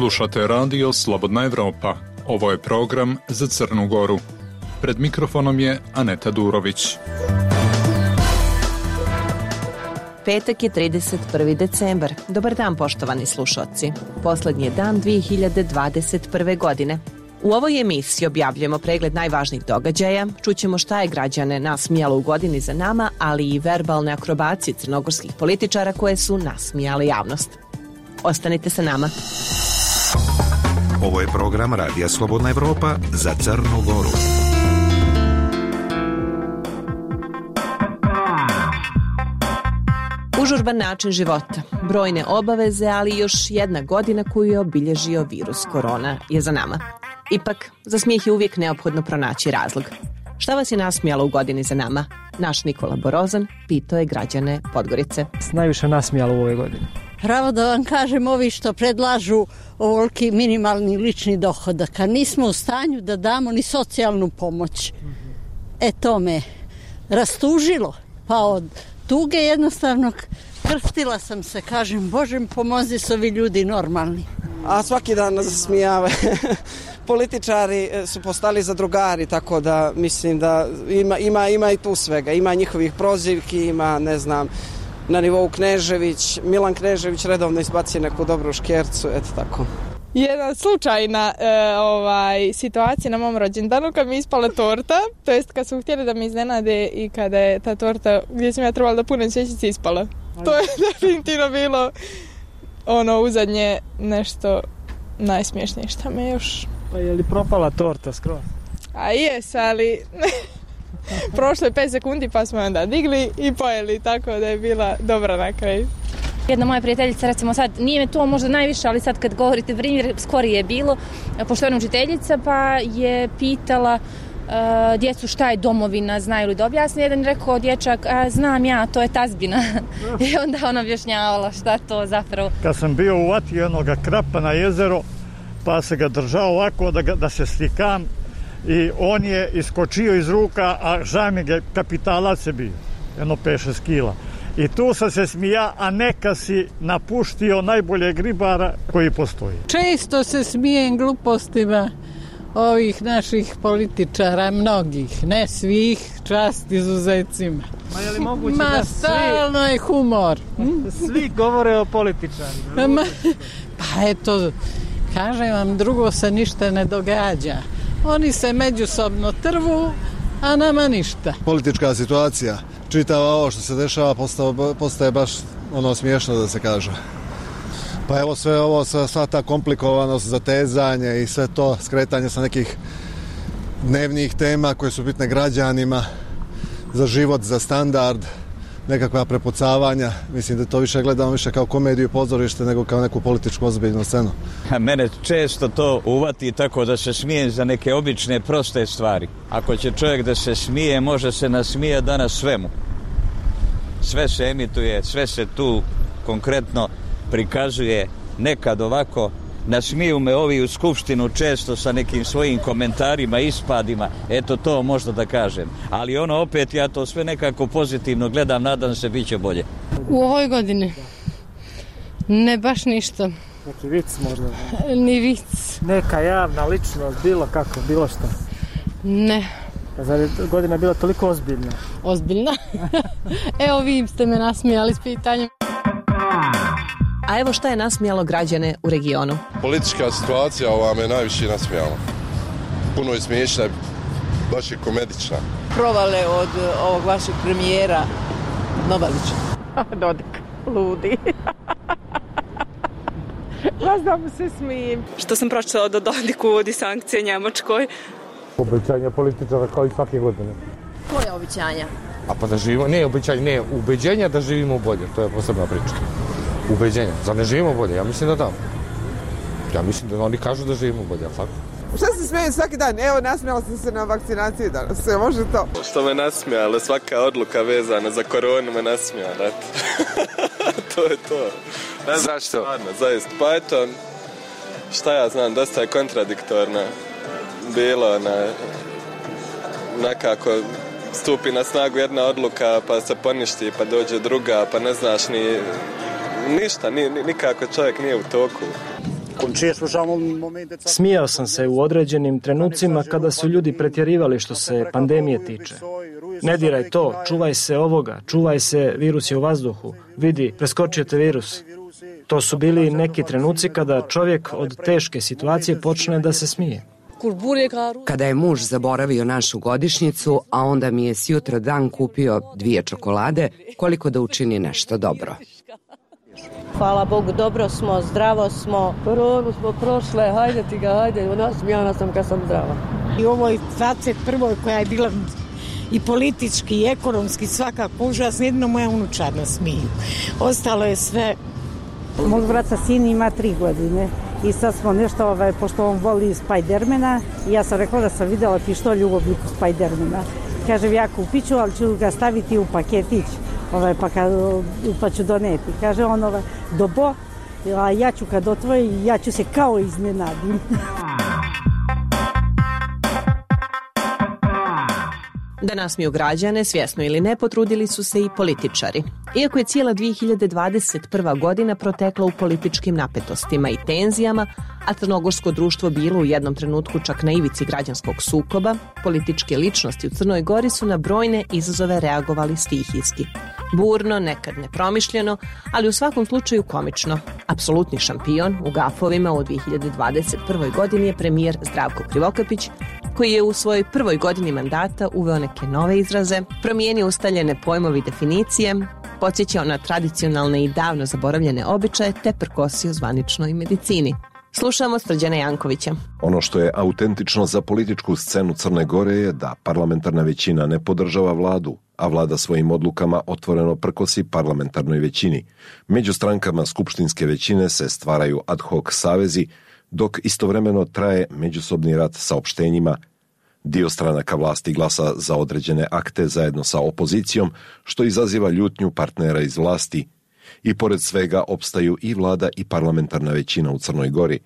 Slušate radio Slobodna Evropa. Ovo je program za Crnu Goru. Pred mikrofonom je Aneta Durović. Petak je 31. decembar. Dobar dan, poštovani slušaoci. Poslednji je dan 2021. godine. U ovoj emisiji objavljujemo pregled najvažnijih događaja, čućemo šta je građane nasmijalo u godini za nama, ali i verbalne akrobacije crnogorskih političara koje su nasmijale javnost. Ostanite sa nama. Ovo je program Radija Slobodna Evropa za Crnu Goru. Užurban način života, brojne obaveze, ali još jedna godina koju je obilježio virus korona je za nama. Ipak, za smijeh je uvijek neophodno pronaći razlog. Šta vas je nasmijalo u godini za nama? Naš Nikola Borozan pitao je građane Podgorice. Najviše nasmijalo u ovoj godini? Pravo da vam kažem, ovi što predlažu ovoliki minimalni lični dohodak, a nismo u stanju da damo ni socijalnu pomoć. To me rastužilo, pa od tuge jednostavno krstila sam se, kažem, Bože mi pomozi, su ovi ljudi normalni. A svaki dan nas zasmijava. Političari su postali zadrugari, tako da mislim da ima i tu svega. Ima njihovih prozivki, ima, ne znam, na nivou Knežević, Milan Knežević redovno izbaci neku dobru škercu, eto tako. Jedna slučajna situacija na mom rođendanu kad mi ispala torta, to jest kad su htjeli da mi iznenade i kada je ta torta gdje sam ja trebala da punem svećice ispala. To je definitivno bilo uzadnje nešto najsmiješnije što me još... Pa je li propala torta skroz? A jes, ali prošlo je 5 sekundi pa smo onda digli i pojeli, tako da je bila dobra na kraju. Jedna moja prijateljica, recimo sad, nije me to možda najviše, ali sad kad govorite primjer, skorije je bilo, pošto je učiteljica, pa je pitala djecu šta je domovina, znaju li da objasni. Jedan je rekao dječak, znam ja, to je tazbina. I onda ona objašnjavala šta to zapravo. Kad sam bio uvatio jednoga krapa na jezero, pa se ga držao ovako da se slikam i on je iskočio iz ruka, a žami ga kapitalac je bio, jedno 5-6 kila. I tu sam se smija, a neka si napuštio najboljeg ribara koji postoji. Često se smijem glupostima ovih naših političara, mnogih, ne svih, čast izuzecima. Ma je li moguće da stalno je humor. Svi govore o političarima. Pa eto, kažem vam, drugo se ništa ne događa. Oni se međusobno trvu, a nama ništa. Politička situacija, čitava ovo što se dešava postaje baš smiješno da se kaže. Pa evo sve ovo, sva ta komplikovanost, zatezanje i sve to, skretanje sa nekih dnevnih tema koje su bitne građanima, za život, za standard, nekakva prepucavanja. Mislim da to više gledamo više kao komediju pozorište nego kao neku političku ozbiljnu scenu. Mene često to uvati tako da se smijem za neke obične, proste stvari. Ako će čovjek da se smije, može se nasmije danas svemu. Sve se emituje, sve se tu konkretno prikazuje, nekad ovako. Nasmiju me ovi u skupštinu često sa nekim svojim komentarima, ispadima, eto to možda da kažem. Ali opet ja to sve nekako pozitivno gledam, nadam se bit će bolje. U ovoj godini? Ne baš ništa. Neki vic možda? Ni vic. Neka javna ličnost, bilo kako, bilo što? Ne. Zar je godina bila toliko ozbiljna? Ozbiljna? Evo vi ste me nasmijali s pitanjem. A evo šta je nasmijalo građane u regionu. Politička situacija ova me najviše nasmijala. Puno je smiješna, baš je komedična. Provale od ovog vašeg premijera Novalića. Dodik, ludi. Vas mu se smijem. Što sam pročitala da Dodik uvodi sankcije Njemačkoj. Obećanja političara kao i svake godine. Koje obećanja? A pa da živimo, ubeđenja da živimo bolje, to je posebna priča. Ubeđenja, zar ne živimo bolje? Ja mislim da. Ja mislim da oni kažu da živimo bolje, ali tako? Šta se smijem svaki dan? Evo, nasmijala sam se na vakcinaciji danas, sve može to. Što me nasmijala, svaka odluka vezana za koronu me nasmijala. To je to. Ne znam, zašto? Stvarno, zaista. Pa eto, šta ja znam, dosta je kontradiktorno bilo nekako stupi na snagu jedna odluka pa se poništi pa dođe druga pa ne znaš ni ništa, nikako čovjek nije u toku. Smijao sam se u određenim trenucima kada su ljudi pretjerivali što se pandemije tiče. Ne diraj to, čuvaj se ovoga, čuvaj se, virus je u vazduhu. Vidi, preskočio te virus. To su bili neki trenuci kada čovjek od teške situacije počne da se smije. Kada je muž zaboravio našu godišnjicu, a onda mi je sjutra dan kupio 2 čokolade, koliko da učini nešto dobro. Hvala Bogu, dobro smo, zdravo smo. Koronu smo prošle, hajde ti ga, hajde, nasmijana sam kad sam zdrava. I u ovoj 21. koja je bila i politički, i ekonomski, svakako užasno, jedino moja unučarna smiju. Ostalo je sve... Mog brata sin ima 3 godine i sad smo nešto, pošto on voli Spidermana, i ja sam rekla da sam vidjela pištolj u obliku Spidermana. Kažem, ja kupit ću, ali ću ga staviti u paketić, pa ću doneti. Kaže on, dobo, a ja ću kad otvori, ja ću se kao iznenadim. Da nasmiju građane, svjesno ili ne, potrudili su se i političari. Iako je cijela 2021. godina protekla u političkim napetostima i tenzijama, a crnogorsko društvo bilo u jednom trenutku čak na ivici građanskog sukoba, političke ličnosti u Crnoj Gori su na brojne izazove reagovali stihijski. Burno, nekad nepromišljeno, ali u svakom slučaju komično. Apsolutni šampion u gafovima u 2021. godini je premijer Zdravko Krivokapić, koji je u svojoj prvoj godini mandata uveo neke nove izraze, promijenio ustaljene pojmovi i definicije, podsjećao na tradicionalne i davno zaboravljene običaje te prkosio zvaničnoj medicini. Slušamo Srđana Jankovića. Ono što je autentično za političku scenu Crne Gore je da parlamentarna većina ne podržava vladu, a vlada svojim odlukama otvoreno prkosi parlamentarnoj većini. Među strankama skupštinske većine se stvaraju ad hoc savezi, dok istovremeno traje međusobni rat saopštenjima. Dio stranaka vlasti glasa za određene akte zajedno sa opozicijom, što izaziva ljutnju partnera iz vlasti. I pored svega opstaju i vlada i parlamentarna većina u Crnoj Gori.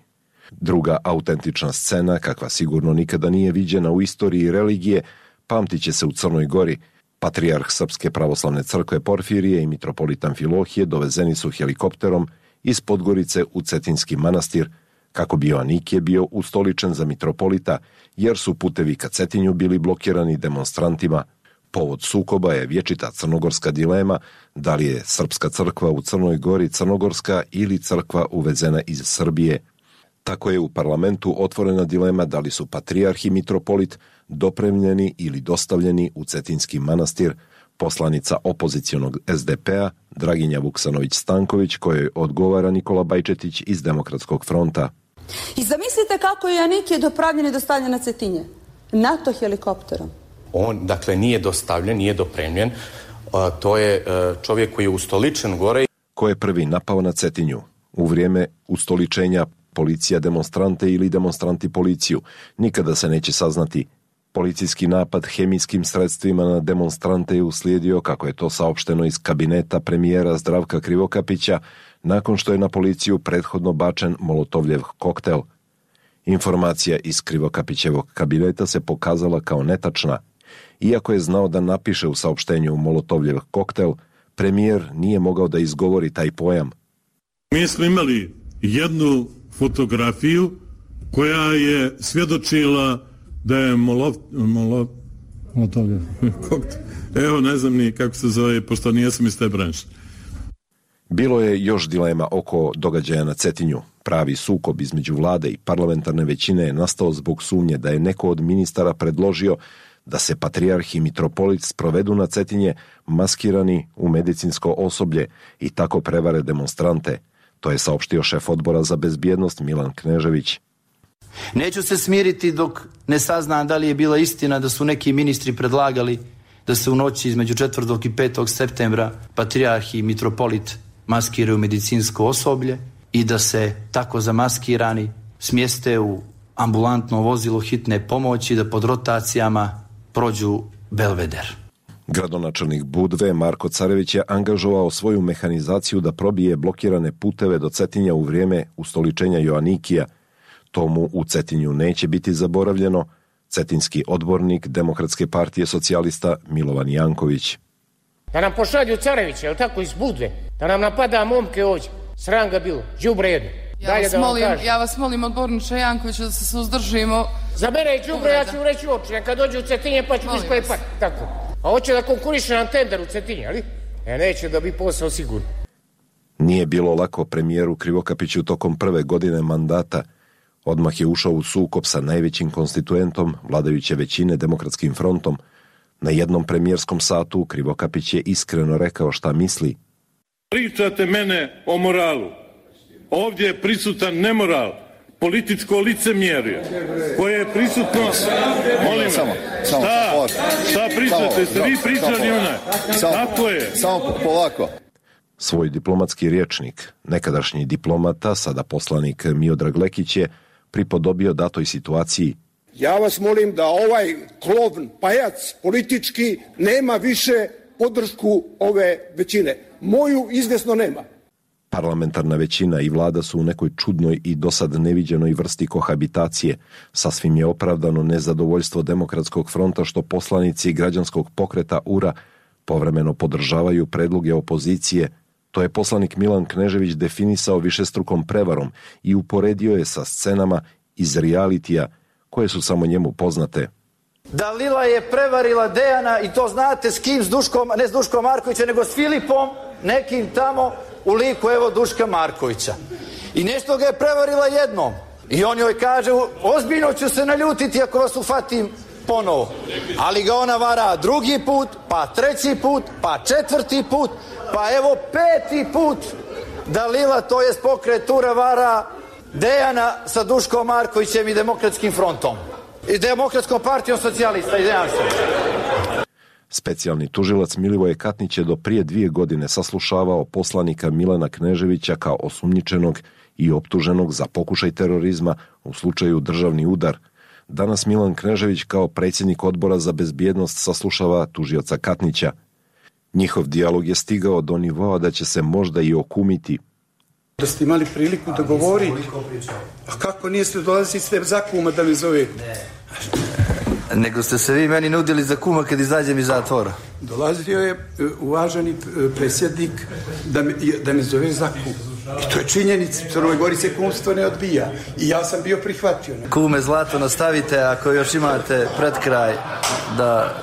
Druga autentična scena, kakva sigurno nikada nije viđena u istoriji religije, pamtit će se u Crnoj Gori. Patrijarh Srpske pravoslavne crkve Porfirije i mitropolit Amfilohije dovezeni su helikopterom iz Podgorice u Cetinski manastir, kako bi Joanikije bio ustoličen za mitropolita, jer su putevi ka Cetinju bili blokirani demonstrantima. Povod sukoba je vječita crnogorska dilema da li je Srpska crkva u Crnoj Gori crnogorska ili crkva uvezena iz Srbije. Tako je u parlamentu otvorena dilema da li su patrijarh i mitropolit dopremljeni ili dostavljeni u Cetinski manastir. Poslanica opozicionog SDP-a Draginja Vuksanović-Stanković, kojoj odgovara Nikola Bajčetić iz Demokratskog fronta. I zamislite kako je Joanikije dopravljen i dostavljen na Cetinje. NATO helikopterom. On, dakle, nije dostavljen, nije dopremljen. To je čovjek koji je ustoličen gore. Ko je prvi napao na Cetinju? U vrijeme ustoličenja policija demonstrante ili demonstranti policiju. Nikada se neće saznati. Policijski napad hemijskim sredstvima na demonstrante je uslijedio, kako je to saopšteno iz kabineta premijera Zdravka Krivokapića, nakon što je na policiju prethodno bačen molotovljev koktel. Informacija iz Krivokapićevog kabineta se pokazala kao netačna. Iako je znao da napiše u saopštenju molotovljev koktel, premijer nije mogao da izgovori taj pojam. Mi smo imali jednu fotografiju koja je svjedočila da je molotovljev koktel. Evo, ne znam ni kako se zove, pošto nijesam iz te branše. Bilo je još dilema oko događaja na Cetinju. Pravi sukob između vlade i parlamentarne većine je nastao zbog sumnje da je neko od ministara predložio da se patrijarh i mitropolit sprovedu na Cetinje maskirani u medicinsko osoblje i tako prevare demonstrante. To je saopštio šef odbora za bezbjednost Milan Knežević. Neću se smiriti dok ne saznam da li je bila istina da su neki ministri predlagali da se u noći između 4. i 5. septembra patrijarh i mitropolit maskiraju medicinsko osoblje i da se tako zamaskirani smjeste u ambulantno vozilo hitne pomoći da pod rotacijama prođu Belveder. Gradonačelnik Budve Marko Carević je angažovao svoju mehanizaciju da probije blokirane puteve do Cetinja u vrijeme ustoličenja Joanikija. Tomu u Cetinju neće biti zaboravljeno, cetinski odbornik Demokratske partije socijalista Milovan Janković. Da nam pošalju Carevića, jel tako, iz Budve, da nam napada momke ovdje. Sram ga bilo, đubre jedno. Ja vas molim, odborniče Jankoviću, da se suzdržimo. Za mene je đubre, ja ću reći uopće. Neka dođe u Cetinje pa ću isklepat. Tako. A hoće da konkuriše na tender u Cetinje, ali? Neće da bi posao sigurno. Nije bilo lako premijeru Krivokapiću tokom prve godine mandata. Odmah je ušao u sukob sa najvećim konstituentom vladajuće većine Demokratskim frontom. Na jednom premijerskom satu Krivokapić je iskreno rekao šta misli. Pričate mene o moralu. Ovdje je prisutan nemoral, političko licemjerje, koje je prisutno... Molim vas, šta pričate? Ste vi pričali onaj? Tako je. Samo polako. Svoj diplomatski rječnik, nekadašnji diplomata, sada poslanik Miodrag Lekić je pripodobio datoj situaciji. Ja vas molim da ovaj klovn, pajac politički nema više podršku ove većine. Moju izvjesno nema. Parlamentarna većina i vlada su u nekoj čudnoj i dosad neviđenoj vrsti kohabitacije. Sasvim je opravdano nezadovoljstvo Demokratskog fronta što poslanici građanskog pokreta URA povremeno podržavaju predloge opozicije. To je poslanik Milan Knežević definisao višestrukom prevarom i uporedio je sa scenama iz realitija koje su samo njemu poznate. Dalila je prevarila Dejana i to znate s kim, s Duškom, ne s Duškom Markovićem, nego s Filipom, nekim tamo u liku evo Duška Markovića. I nešto ga je prevarila jednom. I on joj kaže, ozbiljno ću se naljutiti ako vas ufatim ponovo. Ali ga ona vara drugi put, pa treći put, pa četvrti put, pa evo peti put Dalila, to je pokret URA vara Dejana sa Duškom Markovićem i Demokratskim frontom. I Demokratskom partijom socijalista, izvinjavam se. Specijalni tužilac Milivoje Katnić je do prije 2 godine saslušavao poslanika Milana Kneževića kao osumnjičenog i optuženog za pokušaj terorizma u slučaju državni udar. Danas Milan Knežević kao predsjednik odbora za bezbjednost saslušava tužioca Katnića. Njihov dijalog je stigao do nivoa da će se možda i okumiti. Da ste imali priliku da govori, a kako nije ste dolazili sve za kuma da me zove? Nego ste se vi meni nudili za kuma kad izađem iz zatvora. Dolazio je uvaženi predsjednik da me zove za kum. I to je činjenica, u Crnoj Gori se kumstvo ne odbija. I ja sam bio prihvatio. Kume zlato nastavite, ako još imate pred kraj da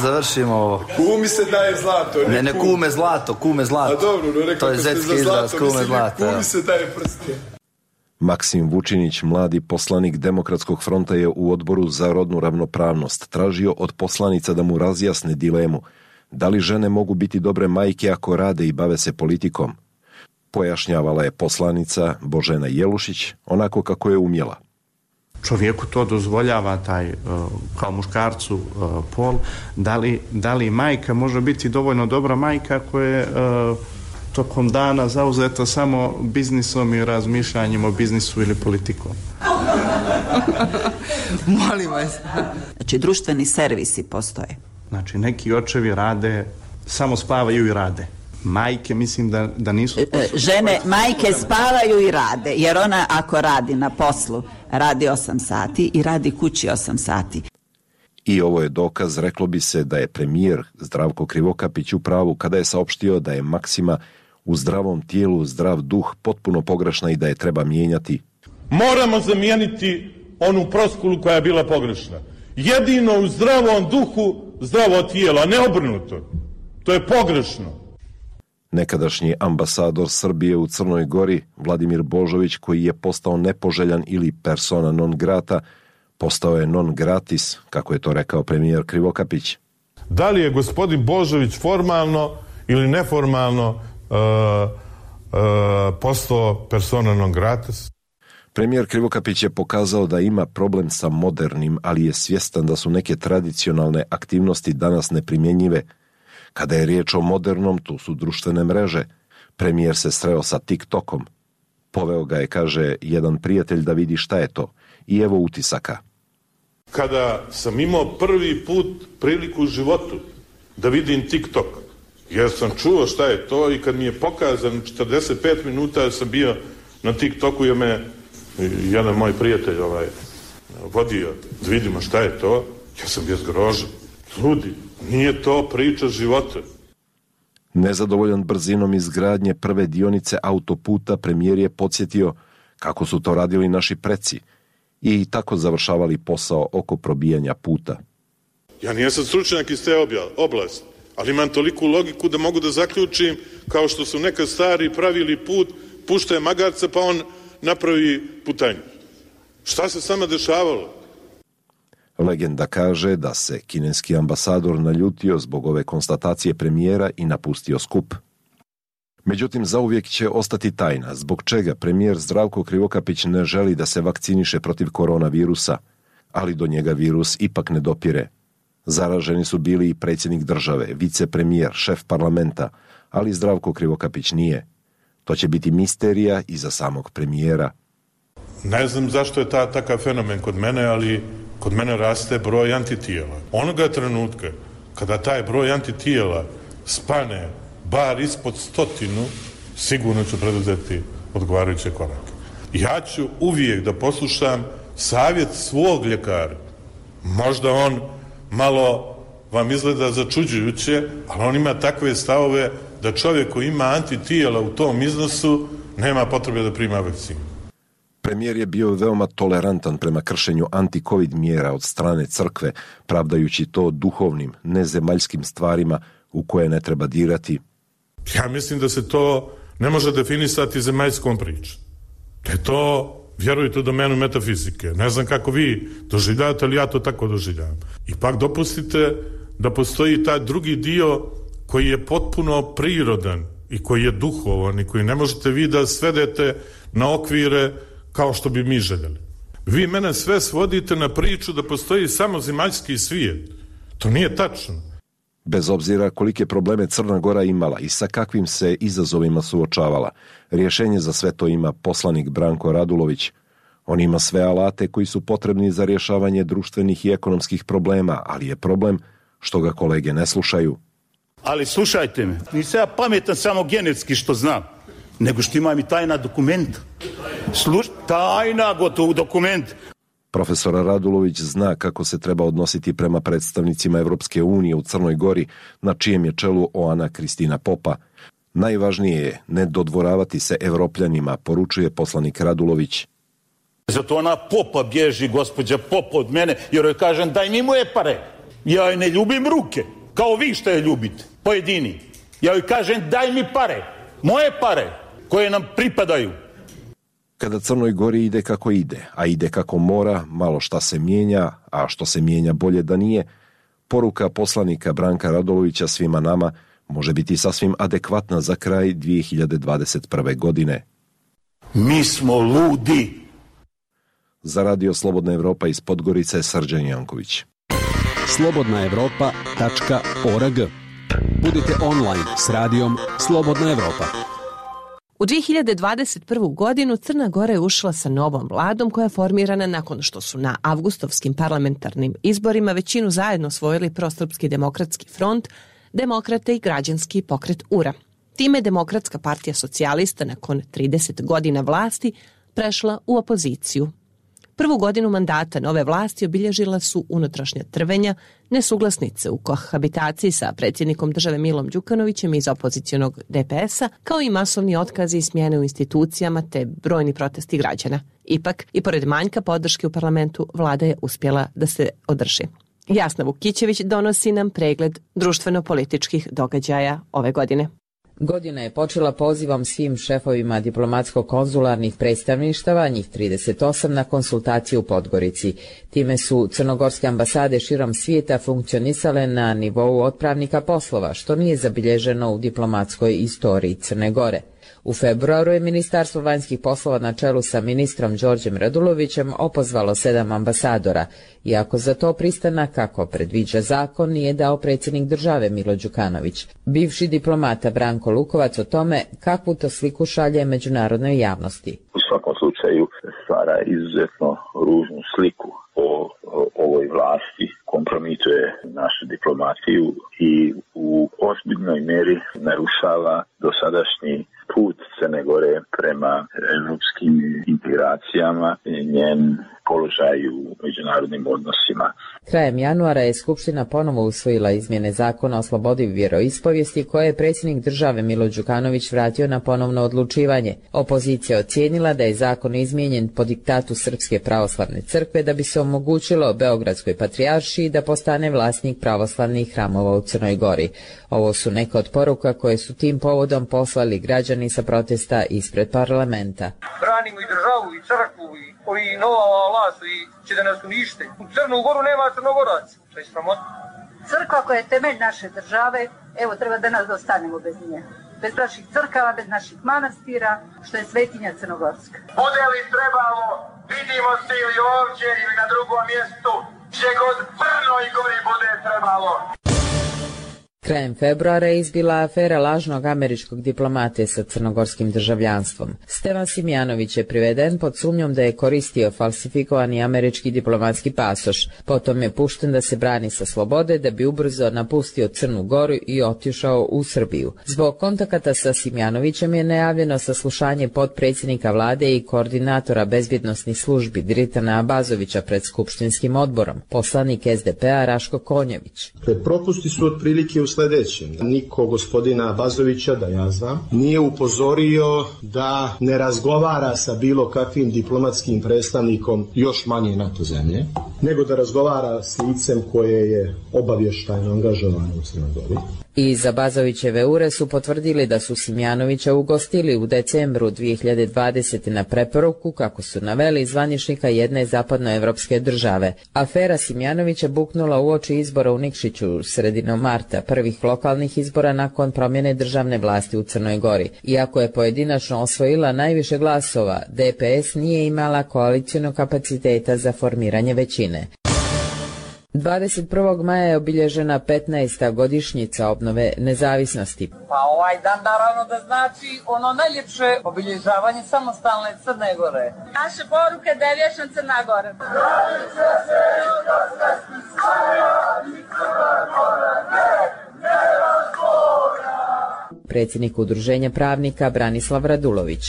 završimo ovo. Kumi se daje zlato. Ne kume zlato, kume zlato. A dobro, rekao to je zetski izraz, kume zlato. Kumi se daje prste. Maksim Vučinić, mladi poslanik Demokratskog fronta, je u odboru za rodnu ravnopravnost tražio od poslanica da mu razjasne dilemu. Da li žene mogu biti dobre majke ako rade i bave se politikom? Pojašnjavala je poslanica Božena Jelušić onako kako je umjela. Čovjeku to dozvoljava taj, kao muškarcu, pol. Da li majka može biti dovoljno dobra majka ako je tokom dana zauzeta samo biznisom i razmišljanjem o biznisu ili politikom? Molim vas. Znači, društveni servisi postoje. Znači, neki očevi rade, samo spavaju i rade. Majke, mislim da nisu... Žene, majke spavaju i rade, jer ona ako radi na poslu, radi 8 sati i radi kući 8 sati. I ovo je dokaz, reklo bi se, da je premijer Zdravko Krivokapić u pravu kada je saopštio da je maksima u zdravom tijelu zdrav duh potpuno pogrešna i da je treba mijenjati. Moramo zamijeniti onu floskulu koja je bila pogrešna. Jedino u zdravom duhu zdravo tijelo, a ne obrnuto. To je pogrešno. Nekadašnji ambasador Srbije u Crnoj Gori, Vladimir Božović, koji je postao nepoželjan ili persona non grata, postao je non gratis, kako je to rekao premijer Krivokapić. Da li je gospodin Božović formalno ili neformalno postao persona non gratis? Premijer Krivokapić je pokazao da ima problem sa modernim, ali je svjestan da su neke tradicionalne aktivnosti danas neprimjenjive. Kada je riječ o modernom, tu su društvene mreže. Premijer se sreo sa TikTokom. Poveo ga je, kaže, jedan prijatelj da vidi šta je to. I evo utisaka. Kada sam imao prvi put priliku u životu da vidim TikTok, jer sam čuo šta je to i kad mi je pokazan 45 minuta sam bio na TikToku jer me jedan moj prijatelj vodio da vidimo šta je to, ja sam bio zgrožen. Ljudi, nije to priča života. Nezadovoljan brzinom izgradnje prve dionice autoputa, premijer je podsjetio kako su to radili naši preci i tako završavali posao oko probijanja puta. Ja nisam stručnjak iz te oblasti, ali imam toliku logiku da mogu da zaključim kao što su nekad stari pravili put, puštaju magarca pa on napravi putanju. Šta se sama dešavalo? Legenda kaže da se kineski ambasador naljutio zbog ove konstatacije premijera i napustio skup. Međutim, zauvijek će ostati tajna zbog čega premijer Zdravko Krivokapić ne želi da se vakciniše protiv koronavirusa, ali do njega virus ipak ne dopire. Zaraženi su bili i predsjednik države, vicepremijer, šef parlamenta, ali Zdravko Krivokapić nije. To će biti misterija i za samog premijera. Ne znam zašto je takav fenomen kod mene, ali kod mene raste broj antitijela. Onoga trenutka kada taj broj antitijela spane bar ispod 100, sigurno ću preduzeti odgovarajuće korake. Ja ću uvijek da poslušam savjet svog ljekara. Možda on malo vam izgleda začuđujuće, ali on ima takve stavove da čovjek koji ima antitijela u tom iznosu nema potrebe da prima vakcinu. Premijer je bio veoma tolerantan prema kršenju anti-covid mjera od strane crkve, pravdajući to duhovnim, nezemaljskim stvarima u koje ne treba dirati. Ja mislim da se to ne može definisati zemaljskom pričom. Da je to, vjerujte, u domenu metafizike. Ne znam kako vi doživljavate, ali ja to tako doživljavam. Ipak dopustite da postoji taj drugi dio koji je potpuno prirodan i koji je duhovan i koji ne možete vi da svedete na okvire kao što bi mi željeli. Vi mene sve svodite na priču da postoji samo zemaljski svijet. To nije tačno. Bez obzira kolike probleme Crna Gora imala i sa kakvim se izazovima suočavala, rješenje za sve to ima poslanik Branko Radulović. On ima sve alate koji su potrebni za rješavanje društvenih i ekonomskih problema, ali je problem što ga kolege ne slušaju. Ali slušajte me, nisam ja pametan samo genetski što znam, nego što imam i tajna dokumenta. Tajna gotov dokument. Profesor Radulović zna kako se treba odnositi prema predstavnicima Evropske unije u Crnoj Gori, na čijem je čelu Oana Kristina Popa. Najvažnije je ne dodvoravati se Evropljanima, poručuje poslanik Radulović. Zato ona Popa bježi, gospođa Popa od mene, jer joj kažem daj mi moje pare. Ja joj ne ljubim ruke, kao vi što je ljubite, pojedini. Ja joj kažem daj mi pare, moje pare, koje nam pripadaju. Kada Crnoj Gori ide kako ide, a ide kako mora, malo šta se mijenja, a što se mijenja bolje da nije, poruka poslanika Branka Radulovića svima nama može biti sasvim adekvatna za kraj 2021. godine. Mi smo ludi. Za Radio Slobodna Evropa iz Podgorice, Srđan Janković. slobodnaevropa.org. Budite online s radijom Slobodna Evropa. U 2021. godinu Crna Gora je ušla sa novom vladom koja je formirana nakon što su na avgustovskim parlamentarnim izborima većinu zajedno osvojili Prosrpski demokratski front, Demokrate i Građanski pokret URA. Time je Demokratska partija socijalista nakon 30 godina vlasti prešla u opoziciju. Prvu godinu mandata nove vlasti obilježila su unutrašnja trvenja, nesuglasice u kohabitaciji sa predsjednikom države Milom Đukanovićem iz opozicionog DPS-a, kao i masovni otkazi i smjene u institucijama te brojni protesti građana. Ipak, i pored manjka podrške u parlamentu, vlada je uspjela da se održi. Jasna Vukićević donosi nam pregled društveno-političkih događaja ove godine. Godina je počela pozivom svim šefovima diplomatsko-konzularnih predstavništava, njih 38, na konsultaciju u Podgorici. Time su crnogorske ambasade širom svijeta funkcionisale na nivou otpravnika poslova, što nije zabilježeno u diplomatskoj istoriji Crne Gore. U februaru je Ministarstvo vanjskih poslova na čelu sa ministrom Đorđem Radulovićem opozvalo 7 ambasadora, iako za to pristanak, kako predviđa zakon, nije dao predsjednik države Milo Đukanović. Bivši diplomata Branko Lukovac o tome kakvu to sliku šalje međunarodnoj javnosti. U svakom slučaju stvara izuzetno ružnu sliku o ovoj vlasti, kompromituje našu diplomatiju i u ozbiljnoj mjeri narušava dosadašnji put Crne Gore prema europskim integracijama, njen položaj u međunarodnim odnosima. Krajem januara je Skupština ponovo usvojila izmjene zakona o slobodi vjeroispovijesti koje je predsjednik države Milo Đukanović vratio na ponovno odlučivanje. Opozicija ocijenila da je zakon izmijenjen po diktatu Srpske pravoslavne crkve da bi se omogućilo Beogradskoj patrijaršiji da postane vlasnik pravoslavnih hramova u Crnoj Gori. Ovo su neke od poruka koje su tim povodom poslali građani sa protesta ispred parlamenta. Branimo i državu i crkvu i ovi nova vlast i će da nas unište. U Crnu Goru nema Crnogoraca. To je sramota. Crkva koja je temelj naše države, evo treba da nas ostanemo bez nje. Bez naših crkava, bez naših manastira, što je svetinja Crnogorska. Bude li trebalo, vidimo se ili ovdje ili na drugom mjestu, gdje god Crno i Gori bude trebalo. Krajem februara je izbila afera lažnog američkog diplomate sa crnogorskim državljanstvom. Stevan Simjanović je priveden pod sumnjom da je koristio falsifikovani američki diplomatski pasoš. Potom je pušten da se brani sa slobode da bi ubrzo napustio Crnu Goru i otišao u Srbiju. Zbog kontakata sa Simjanovićem je najavljeno saslušanje potpredsjednika vlade i koordinatora bezbjednosnih službi Dritana Abazovića pred skupštinskim odborom, poslanik SDP-a Raško Konjević. Propusti su otprilike u sljedećem. Niko gospodina Abazovića, da ja znam, nije upozorio da ne razgovara sa bilo kakvim diplomatskim predstavnikom još manje NATO zemlje, nego da razgovara s licem koje je obavještajno angažovano u Crnoj Gori. Iz Abazovićeve ure su potvrdili da su Simjanovića ugostili u decembru 2020. na preporuku, kako su naveli, zvaničnika jedne zapadnoevropske države. Afera Simjanovića buknula uoči izbora u Nikšiću sredinom marta, prvih lokalnih izbora nakon promjene državne vlasti u Crnoj Gori. Iako je pojedinačno osvojila najviše glasova, DPS nije imala koalicijnog kapaciteta za formiranje većine. 21. maja je obilježena 15. godišnjica obnove nezavisnosti. Pa ovaj dan naravno da znači ono najljepše obilježavanje samostalne Crne Gore. Naše poruke da je vječna Crna Gora. Predsjednik Udruženja pravnika Branislav Radulović.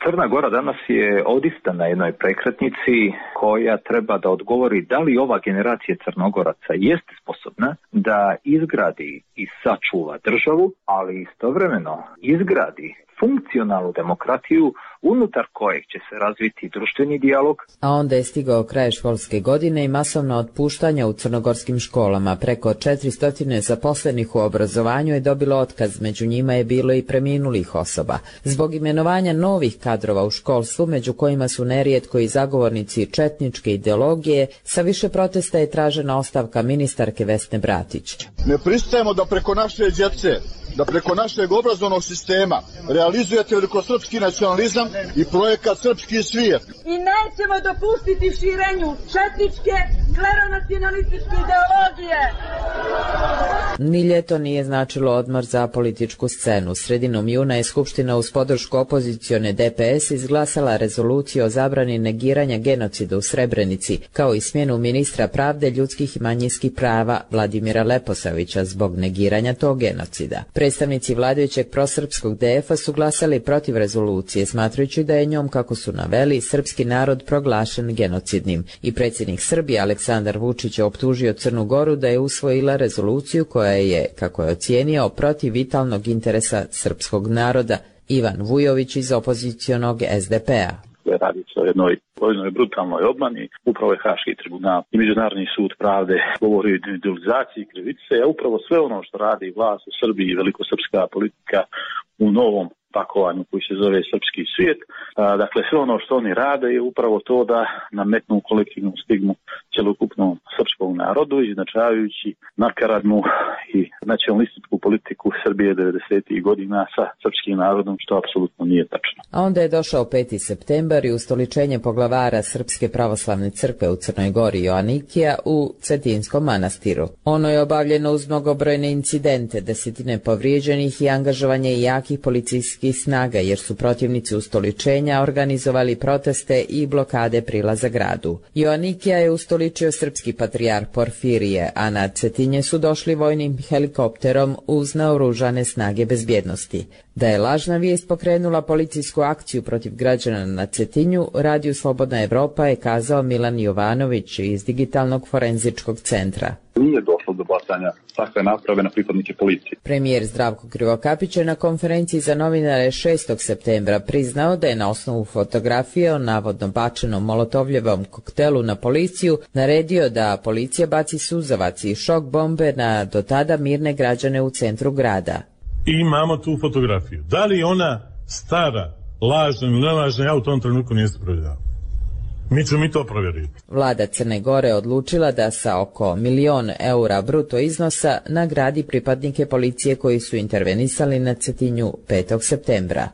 Crna Gora danas je odista na jednoj prekretnici koja treba da odgovori da li ova generacija Crnogoraca jeste sposobna da izgradi i sačuva državu, ali istovremeno izgradi funkcionalnu demokratiju unutar kojeg će se razviti društveni dijalog. A onda je stigao kraj školske godine i masovna otpuštanja u crnogorskim školama. Preko 400 zaposlenih u obrazovanju je dobilo otkaz, među njima je bilo i preminulih osoba. Zbog imenovanja novih kadrova u školstvu, među kojima su nerijetko i zagovornici četničke ideologije, sa više protesta je tražena ostavka ministarke Vesne Bratić. Ne pristajemo da preko naše djece, da preko našeg obrazovnog sistema realizujete velikosrpski nacionalizam i projekat Srpski svijet. I nećemo dopustiti širenju četničke, kleronacionalističke ideologije. Ni ljeto nije značilo odmor za političku scenu. Sredinom juna je Skupština uz podršku opozicione DPS izglasala rezoluciju o zabrani negiranja genocida u Srebrenici, kao i smjenu ministra pravde, ljudskih i manjinskih prava Vladimira Leposavića zbog negiranja tog genocida. Predstavnici vladajućeg prosrpskog DF-a su glasali protiv rezolucije, smatrajući da je njom, kako su naveli, srpski narod proglašen genocidnim. I predsjednik Srbije Aleksandar Vučić je optužio Crnu Goru da je usvojila rezoluciju koja je, kako je ocijenio, protiv vitalnog interesa srpskog naroda. Ivan Vujović iz opozicionog SDP-a. Radi se o jednoj brutalnoj obmani. Upravo je Haški tribunal i Međunarodni sud pravde govori o individualizaciji krivice, a upravo sve ono što radi vlast u Srbiji i velikosrpska politika u novom pakovanju koji se zove Srpski svijet. Dakle, sve ono što oni rade je upravo to da nametnu kolektivnu stigmu cjelokupnom srpskom narodu, iznačavajući nakaradnu i nacionalističku politiku Srbije 90. godina sa srpskim narodom, što apsolutno nije tačno. A onda je došao 5. septembar i ustoličenje poglavara Srpske pravoslavne crkve u Crnoj Gori Joanikija u Cetinskom manastiru. Ono je obavljeno uz mnogobrojne incidente, desetine povrijeđenih i angažovanje jakih policijskih snaga, jer su protivnici ustoličenja organizovali proteste i blokade prilaza gradu. Joanikija je ustoličio srpski patrijarh Porfirije, a na Cetinje su došli vojnim helikopterom uz naoružane snage bezbjednosti. Da je lažna vijest pokrenula policijsku akciju protiv građana na Cetinju, Radiju Slobodna Evropa je kazao Milan Jovanović iz Digitalnog forenzičkog centra. Nije došlo do bacanja takve naprave na pripadnike policije. Premijer Zdravko Krivokapić je na konferenciji za novinare 6. septembra priznao da je na osnovu fotografije o navodno bačenom molotovljevom koktelu na policiju naredio da policija baci suzavac i šok bombe na do tada mirne građane u centru grada. I imamo tu fotografiju. Da li ona stara, lažna ili nelažna, ja u tom trenutku nisam provjeravao. Mi ćemo i to provjeriti. Vlada Crne Gore odlučila da sa oko 1.000.000 eura bruto iznosa nagradi pripadnike policije koji su intervenisali na Cetinju 5. septembra.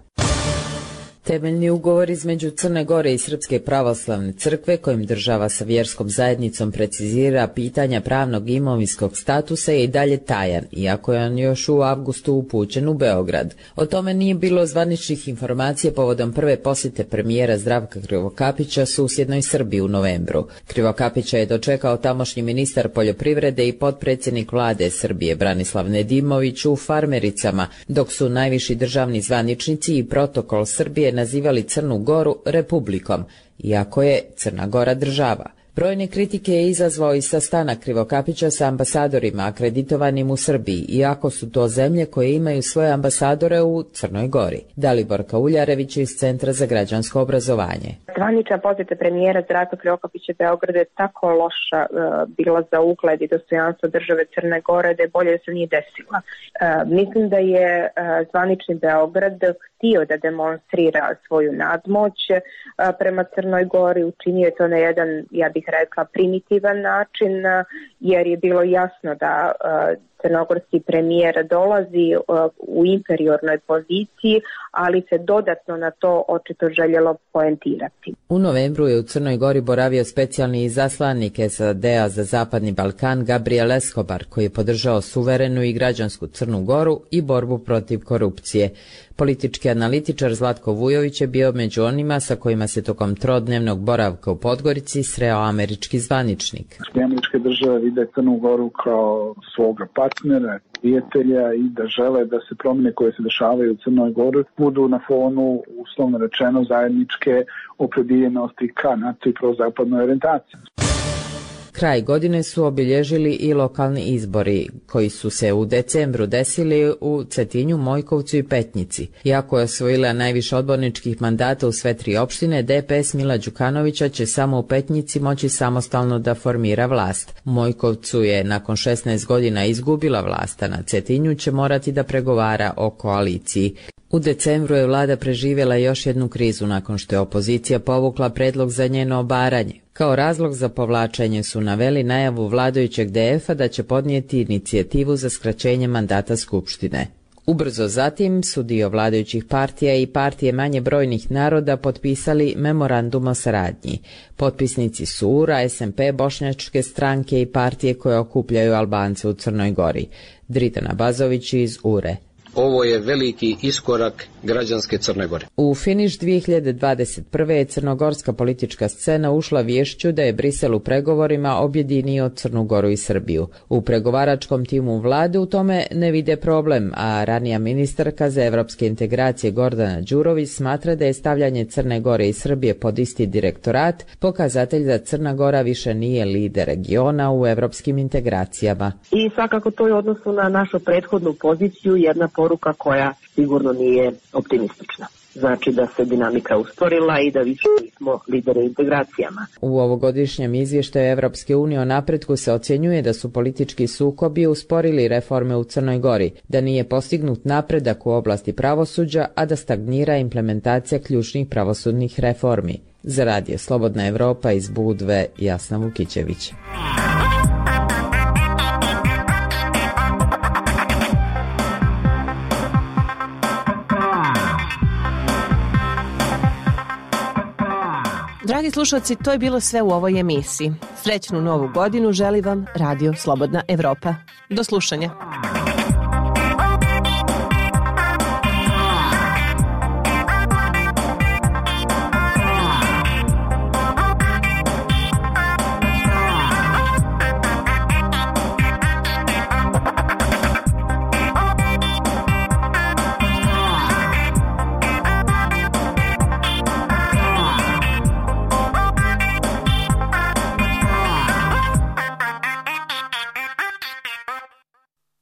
Temeljni ugovor između Crne Gore i Srpske pravoslavne crkve, kojim država sa vjerskom zajednicom precizira pitanja pravnog i imovinskog statusa, je i dalje tajan, iako je on još u avgustu upućen u Beograd. O tome nije bilo zvaničnih informacija povodom prve posjete premijera Zdravka Krivokapića susjednoj Srbiji u novembru. Krivokapića je dočekao tamošnji ministar poljoprivrede i potpredsjednik vlade Srbije Branislav Nedimović u Farmericama, dok su najviši državni zvaničnici i protokol Srbije nazivali Crnu Goru republikom, iako je Crna Gora država. Brojne kritike je izazvao i sastanak Krivokapića sa ambasadorima akreditovanim u Srbiji, iako su to zemlje koje imaju svoje ambasadore u Crnoj Gori. Dalibor Kauljarević iz Centra za građansko obrazovanje. Zvanična posjeta premijera Zdravka Krivokapića Beograda je tako loša bila za ugled i dostojanstvo države Crne Gore da je bolje da se nije desila. Mislim da je zvanični Beograd htio da demonstrira svoju nadmoć prema Crnoj Gori, učinio je to na jedan, ja bih rekla, primitivan način, jer je bilo jasno da crnogorski premijer dolazi u inferiornoj poziciji, ali se dodatno na to očito željelo poentirati. U novembru je u Crnoj Gori boravio specijalni izaslanik SAD-a za Zapadni Balkan Gabriel Escobar, koji je podržao suverenu i građansku Crnu Goru i borbu protiv korupcije. Politički analitičar Zlatko Vujović je bio među onima sa kojima se tokom trodnevnog boravka u Podgorici sreo američki zvaničnik. Američke države vide Crnu Goru kao svoga partnera, prijatelja i da žele da se promjene koje se dešavaju u Crnoj Gori budu na fonu, uslovno rečeno, zajedničke opredjeljenosti ka NATO i prozapadnoj orijentaciji. Kraj godine su obilježili i lokalni izbori, koji su se u decembru desili u Cetinju, Mojkovcu i Petnici. Iako je osvojila najviše odborničkih mandata u sve tri opštine, DPS Mila Đukanovića će samo u Petnici moći samostalno da formira vlast. U Mojkovcu je nakon 16 godina izgubila vlast, a na Cetinju će morati da pregovara o koaliciji. U decembru je vlada preživjela još jednu krizu nakon što je opozicija povukla predlog za njeno obaranje. Kao razlog za povlačenje su naveli najavu vladajućeg DF-a da će podnijeti inicijativu za skraćenje mandata Skupštine. Ubrzo zatim su dio vladajućih partija i partije manje brojnih naroda potpisali memorandum o saradnji. Potpisnici su URA, SMP, Bošnjačke stranke i partije koje okupljaju Albance u Crnoj Gori. Dritana Bazović iz URE. Ovo je veliki iskorak građanske Crne Gore. U finiš 2021. je crnogorska politička scena ušla vješću da je Brisel u pregovorima objedinio Crnu Goru i Srbiju. U pregovaračkom timu vlade u tome ne vide problem, a ranija ministarka za evropske integracije Gordana Đurović smatra da je stavljanje Crne Gore i Srbije pod isti direktorat pokazatelj da Crna Gora više nije lider regiona u evropskim integracijama. I svakako to je u odnosu na našu prethodnu poziciju jedna poruka koja sigurno nije optimistična. Znači da se dinamika usporila i da više nismo lideri integracijama. U ovogodišnjem izvještaju Evropske unije o napretku se ocjenjuje da su politički sukobi usporili reforme u Crnoj Gori, da nije postignut napredak u oblasti pravosuđa, a da stagnira implementacija ključnih pravosudnih reformi. Za Radio Slobodna Evropa iz Budve, Jasna Vukićević. Dragi slušalci, to je bilo sve u ovoj emisiji. Srećnu novu godinu želi vam Radio Slobodna Evropa. Do slušanja.